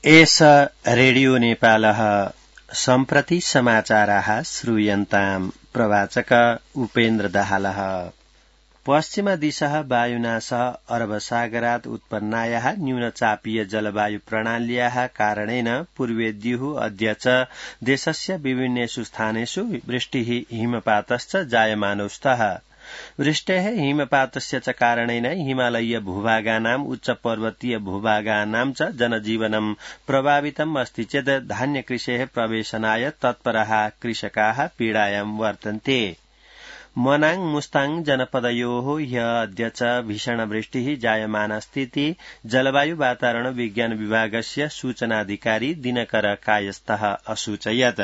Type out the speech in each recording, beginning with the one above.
एष रेडियो नेपालः सम्प्रति समाचाराः श्रूयन्ताम् प्रवाचक उपेन्द्र दाहालः। पश्चिमदिशः वायुनासः अरबसागरात् उत्पन्नायाः न्यूनचापीय जलवायु प्रणाल्याः कारणेन पूर्वेद्युः अद्य च देशस्य विभिन्नेषु स्थानेषु वृष्टिः हिमपातश्च जायमानौ स्तः। वृष्टेः हिमपातस्य च कारणेन हिमालयीय भूभागानाम् उच्च पर्वतीय भूभागानां च जनजीवनं प्रभावितम् अस्ति चेत् धान्यकृषेः प्रवेशनाय तत्पराः कृषकाः पीडायां वर्तन्ते। मनाङ मुस्ताङ जनपदयोः ह्यः अद्य च भीषणवृष्टिः जायमानास्तीति जलवायु वातावरण विज्ञान विभागस्य सूचनाधिकारी दिनकर कायस्थः असूचयत्।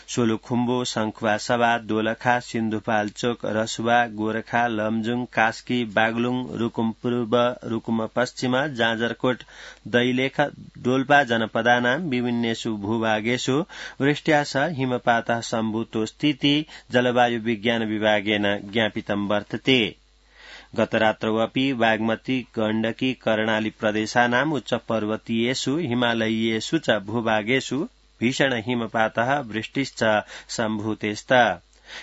सोलुखुम्बु शंखुवासभा दोलखा सिन्धुपाल्चोक रसुवा गोरखा लमजुङ कास्की बागलुङ रुकुम पूर्व रुकुम पश्चिम जाजरकोट दैलेख डोल्पा जनपदानां विभिन्नेषु भूभागेषु वृष्ट्या सह हिमपातः सम्भूतोऽस्तीति जलवायु विज्ञान विभागेन ज्ञापितं वर्तते। गतरात्रौ अपि बागमती गण्डकी कर्णाली प्रदेशानाम् उच्च पर्वतीयेषु हिमालयीयेषु च भूभागेषु भीषण हिमपातः वृष्टिश्च सम्भूतेस्त।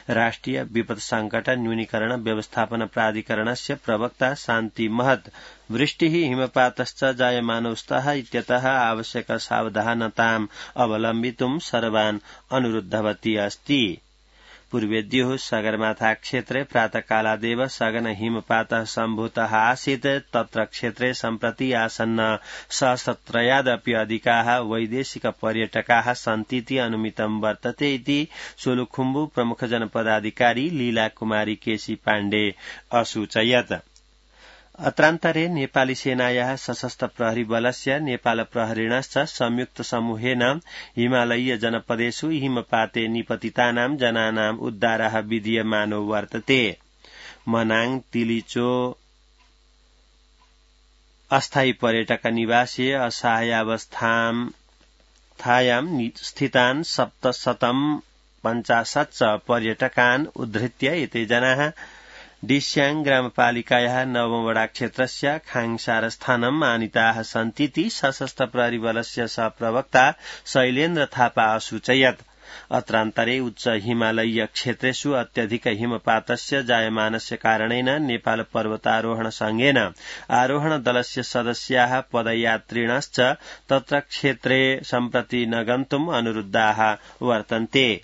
राष्ट्रिय विपद संकट न्यूनीकरण व्यवस्थापन प्राधिकरणस्य प्रवक्ता शान्ति महत वृष्टिः हिमपातश्च जायमानौ स्तः इत्यतः आवश्यक सावधानताम् अवलम्बितुं सर्वान् अनुरुद्धवती अस्ति। पूर्वेद्युः सगरमाथा क्षेत्रे प्रातःकालादेव सघन हिमपातः सम्भूतः आसीत्। तत्र क्षेत्रे सम्प्रति आसन्न सहस्रत्रयादपि अधिकाः वैदेशिक पर्यटकाः सन्तीति अनुमितं वर्तते इति सोलुखुम्बु प्रमुख जनपदाधिकारी लीला कुमारी केसी पाण्डे असूचयत्। अत्रान्तरे नेपाली सेनायाः सशस्त्र प्रहरी बलस्य नेपाल प्रहरीणश्च संयुक्त समूहेन हिमालयीय जनपदेषु हिमपाते निपतितानां जनानां उद्धारः विधीयमानो वर्तते। मनाङ तिलिचो अस्थायी पर्यटक निवासे असहायावस्थायां स्थितान् 750 पर्यटकान् उद्धृत्य एते जनाः डिस्याङ ग्रामपालिकायाः नवमवडा क्षेत्रस्य खाङसारस्थानम् आनीताः सन्तीति सशस्त्र प्रहरी बलस्य सहप्रवक्ता शैलेन्द्र थापा असूचयत्। अत्रान्तरे उच्च हिमालयीय क्षेत्रेषु अत्यधिक हिमपातस्य जायमानस्य कारणेन नेपाल पर्वतारोहण संघेन आरोहण दलस्य सदस्याः पदयात्रिणश्च तत्र क्षेत्रे सम्प्रति न गन्तुम् अनुरुद्धाः वर्तन्ते।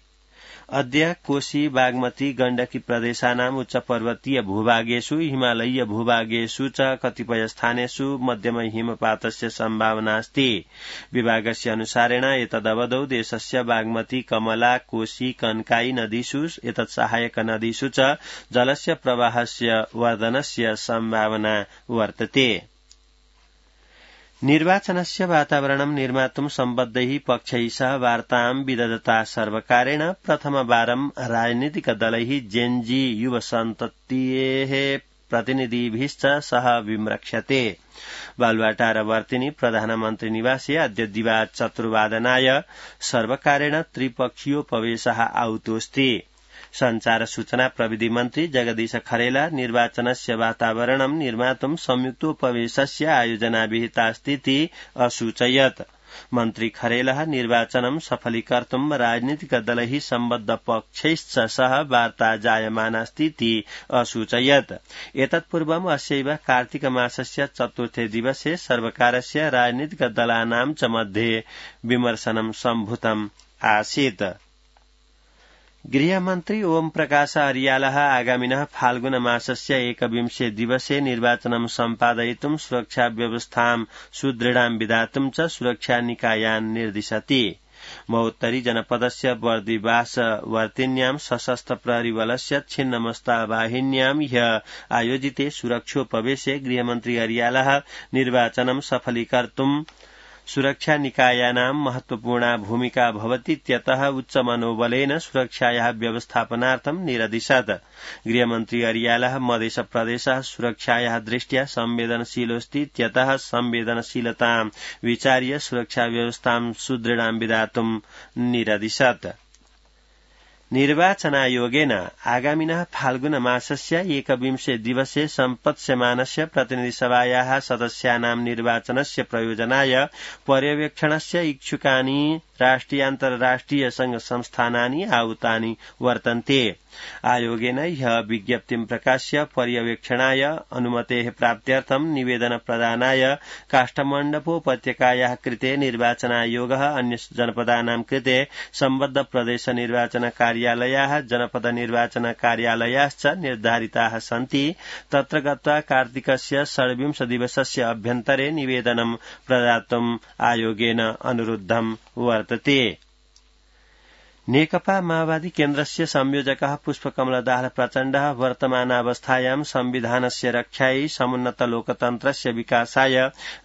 अद्य कोशी बागमती गण्डकी प्रदेशानाम् उच्च पर्वतीय भूभागेषु हिमालयीय भूभागेषु च कतिपय स्थानेषु मध्यम हिमपातस्य सम्भावना अस्ति। विभागस्य अनुसारेण एतदवधौ देशस्य बागमती कमला कोशी कनकाई नदीषु एतत् सहायक नदीषु च जलस्य प्रवाहस्य वर्धनस्य सम्भावना वर्तते। निर्वाचनस्य वातावरणं निर्मातुं सम्बद्धैः पक्षैः सह वार्तां विदधता सर्वकारेण प्रथमवारं राजनीतिक दलैः जेन्जी युवसन्ततेः प्रतिनिधिभिश्च सह विम्रक्ष्यते। बालुवाटारवर्तिनि प्रधानमन्त्री निवासे अद्य दिवा चतुर्वादनाय सर्वकारेण त्रिपक्षीयोपवेशः आहुतोऽस्ति। संचार सूचना प्रविधि मन्त्री जगदीश खरेला निर्वाचनस्य वातावरणं निर्मातुं संयुक्तोपवेशस्य आयोजना विहितास्तीति असूचयत्। मन्त्री खरेलः निर्वाचनं सफलीकर्तुं राजनीतिक दलैः सम्बद्ध पक्षैश्च सह वार्ता जायमानास्तीति असूचयत्। एतत्पूर्वम् अस्यैव कार्तिक मासस्य चतुर्थे दिवसे सर्वकारस्य राजनीतिक दलानां च मध्ये विमर्शनं सम्भूतम् आसीत्। गृहमन्त्री ओम प्रकाश अर्यालः आगामिनः फाल्गुन मासस्य 21 दिवसे निर्वाचनं सम्पादयितुं सुरक्षा व्यवस्थां सुदृढां विधातुं च सुरक्षा निकायान् निर्दिशति। महोत्तरी जनपदस्य बर्दिवास वर्तिन्यां सशस्त्र प्रहरी बलस्य छिन्नमस्ता वाहिन्यां ह्यः आयोजिते सुरक्षोपवेशे गृहमन्त्री अर्यालः निर्वाचनं सफलीकर्तुं सुरक्षा निकायानां महत्वपूर्णा भूमिका भवतीत्यतः उच्च मनोबलेन सुरक्षायाः व्यवस्थापनार्थं निरदिशत्। गृहमन्त्री अर्यालः मध्य प्रदेशः सुरक्षायाः दृष्ट्या संवेदनशीलोऽस्तीत्यतः संवेदनशीलतां विचार्य सुरक्षा व्यवस्थां सुदृढां विधातुं निरदिशत्। निर्वाचनायोगेन आगामिनः फाल्गुन मासस्य 21 दिवसे सम्पत्स्यमानस्य प्रतिनिधिसभायाः सदस्यानां निर्वाचनस्य प्रयोजनाय पर्यवेक्षणस्य इच्छुकानि राष्ट्रियान्तर्राष्ट्रिय संघ संस्थानानि आहूतानि वर्तन्ते। आयोगेन ह्यः विज्ञप्तिं प्रकाश्य पर्यवेक्षणाय अनुमतेः प्राप्त्यर्थं निवेदन प्रदानाय काष्ठमण्डपोपत्यकायाः कृते निर्वाचनायोगः अन्य जनपदानां कृते सम्बद्ध प्रदेश निर्वाचन कार्यालयाः जनपद निर्वाचन कार्यालयाश्च निर्धारिताः सन्ति। तत्र गत्वा कार्तिकस्य 26 दिवसस्य अभ्यन्तरे निवेदनं प्रदातुम् आयोगेन अनुरुद्धं वर्तते। नेकपा माओवादी केन्द्रस्य संयोजकः पुष्पकमलदास प्रचण्डः वर्तमानावस्थायां संविधानस्य रक्षायै समुन्नत लोकतन्त्रस्य विकासाय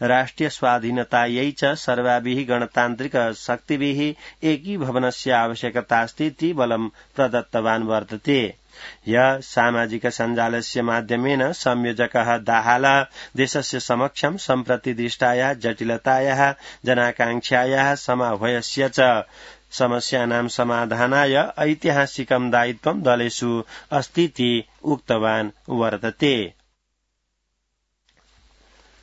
राष्ट्रिय स्वाधीनतायै च सर्वाभिः गणतान्त्रिक शक्तिभिः एकीभवनस्य आवश्यकतास्ति इति बलं प्रदत्तवान् वर्तते। यः सामाजिक सञ्जालस्य माध्यमेन संयोजकः दाहालः देशस्य समक्षं सम्प्रति दृष्टायाः जटिलतायाः जनाकांक्षायाः समाह्वयस्य च समस्यानां समाधानाय ऐतिहासिकं दायित्वं दलेषु अस्तीति उक्तवान् वर्तते।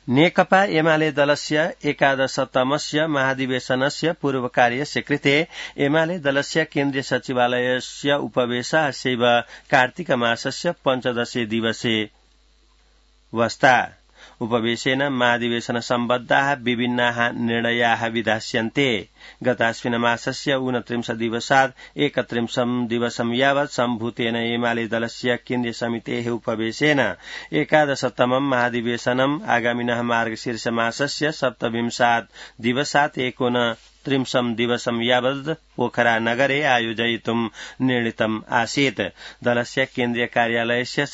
नेकपा एमाले दलस्य 11तमस्य महाधिवेशनस्य पूर्वकार्यस्य कृते एमाले दलस्य केन्द्रीय सचिवालयस्य उपवेशः अस्यैव कार्तिक मासस्य 15 दिवसे वस्ता। उपवेशेन महाधिवेशन सम्बद्धाः विभिन्नाः निर्णयाः विधास्यन्ते। गतास्मिन् मासस्य 29 दिवसात् 31 दिवसं यावत् सम्भूतेन एमाले दलस्य केन्द्रीय समितेः उपवेशेन 11तमं महाधिवेशनम् आगामिनः मार्गशीर्ष मासस्य 27 दिवसात् 29 दिवसं यावत् पोखरा नगरे आयोजयितुं निर्णीतम् आसीत्। दलस्य केन्द्रीय कार्यालयस्य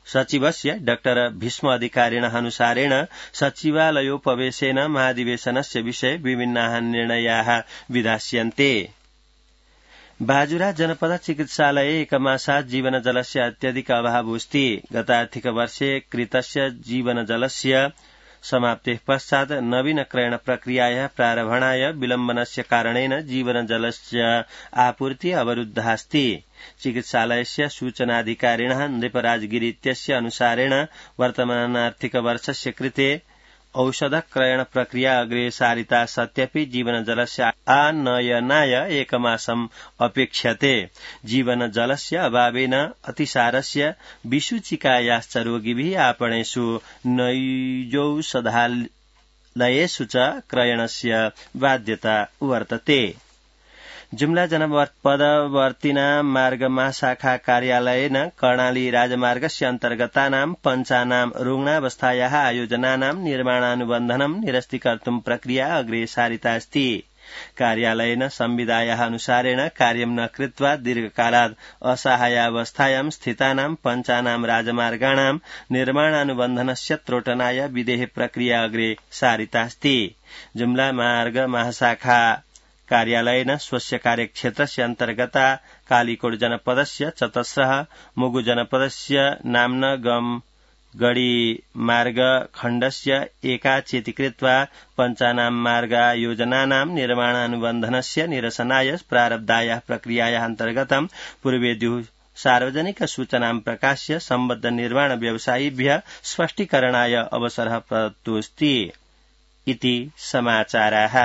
सचिवस्य डॉक्टर भीष्म अधिकारिणः अनुसारेण सचिवालयोपवेशेन महाधिवेशनस्य विषये विभिन्नाः निर्णयाः विधास्यन्ते। बाजुरा जनपद चिकित्सालये एकमासात् जीवनजलस्य अत्यधिक अभावोऽस्ति। गतार्थिक वर्षे कृतस्य जीवनजलस्य समाप्तेः पश्चात् नवीन क्रयण प्रक्रियायाः प्रारम्भणाय विलम्बनस्य कारणेन जीवनजलस्य आपूर्ति अवरुद्धास्ति। चिकित्सालयस्य सूचनाधिकारिणः नृपराजगिरि इत्यस्य अनुसारेण वर्तमानार्थिक वर्षस्य कृते औषध क्रयण प्रक्रिया अग्रे सारिता सत्यपि जीवनजलस्य आनयनाय एकमासम् अपेक्ष्यते। जीवनजलस्य अभावेन अतिसारस्य विसूचिकायाश्च रोगिभिः आपणेषु नैजौषधालयेषु च क्रयणस्य बाध्यता वर्तते। जुम्ला जनपदवर्तिनां मार्गमाशाखा कार्यालयेन कर्णाली राजमार्गस्य अन्तर्गतानां पञ्चानां रुग्णावस्थायाः आयोजनानां निर्माणानुबन्धनं निरस्तीकर्तुं प्रक्रिया अग्रे सारितास्ति। कार्यालयेन संविदायाः अनुसारेण कार्यं न कृत्वा दीर्घकालात् असहायावस्थायां स्थितानां पञ्चानां राजमार्गाणां निर्माणानुबन्धनस्य त्रोटनाय विधेः प्रक्रिया अग्रे सारितास्ति। जुम्ला मार्ग महाशाखा कार्यालयेन स्वस्य कार्यक्षेत्रस्य अन्तर्गता कालीकोट जनपदस्य चतस्रः मुगु जनपदस्य नाम्नगम गडी मार्ग खण्डस्य एकाचेति कृत्वा पञ्चानां मार्गायोजनानां निर्माणानुबन्धनस्य निरसनाय प्रारब्धायाः प्रक्रियायाः अन्तर्गतं पूर्वेद्युः सार्वजनिक सूचनां प्रकाश्य सम्बद्ध निर्माण व्यवसायिभ्यः स्पष्टीकरणाय अवसरः प्रदत्तोऽस्ति इति समाचाराः।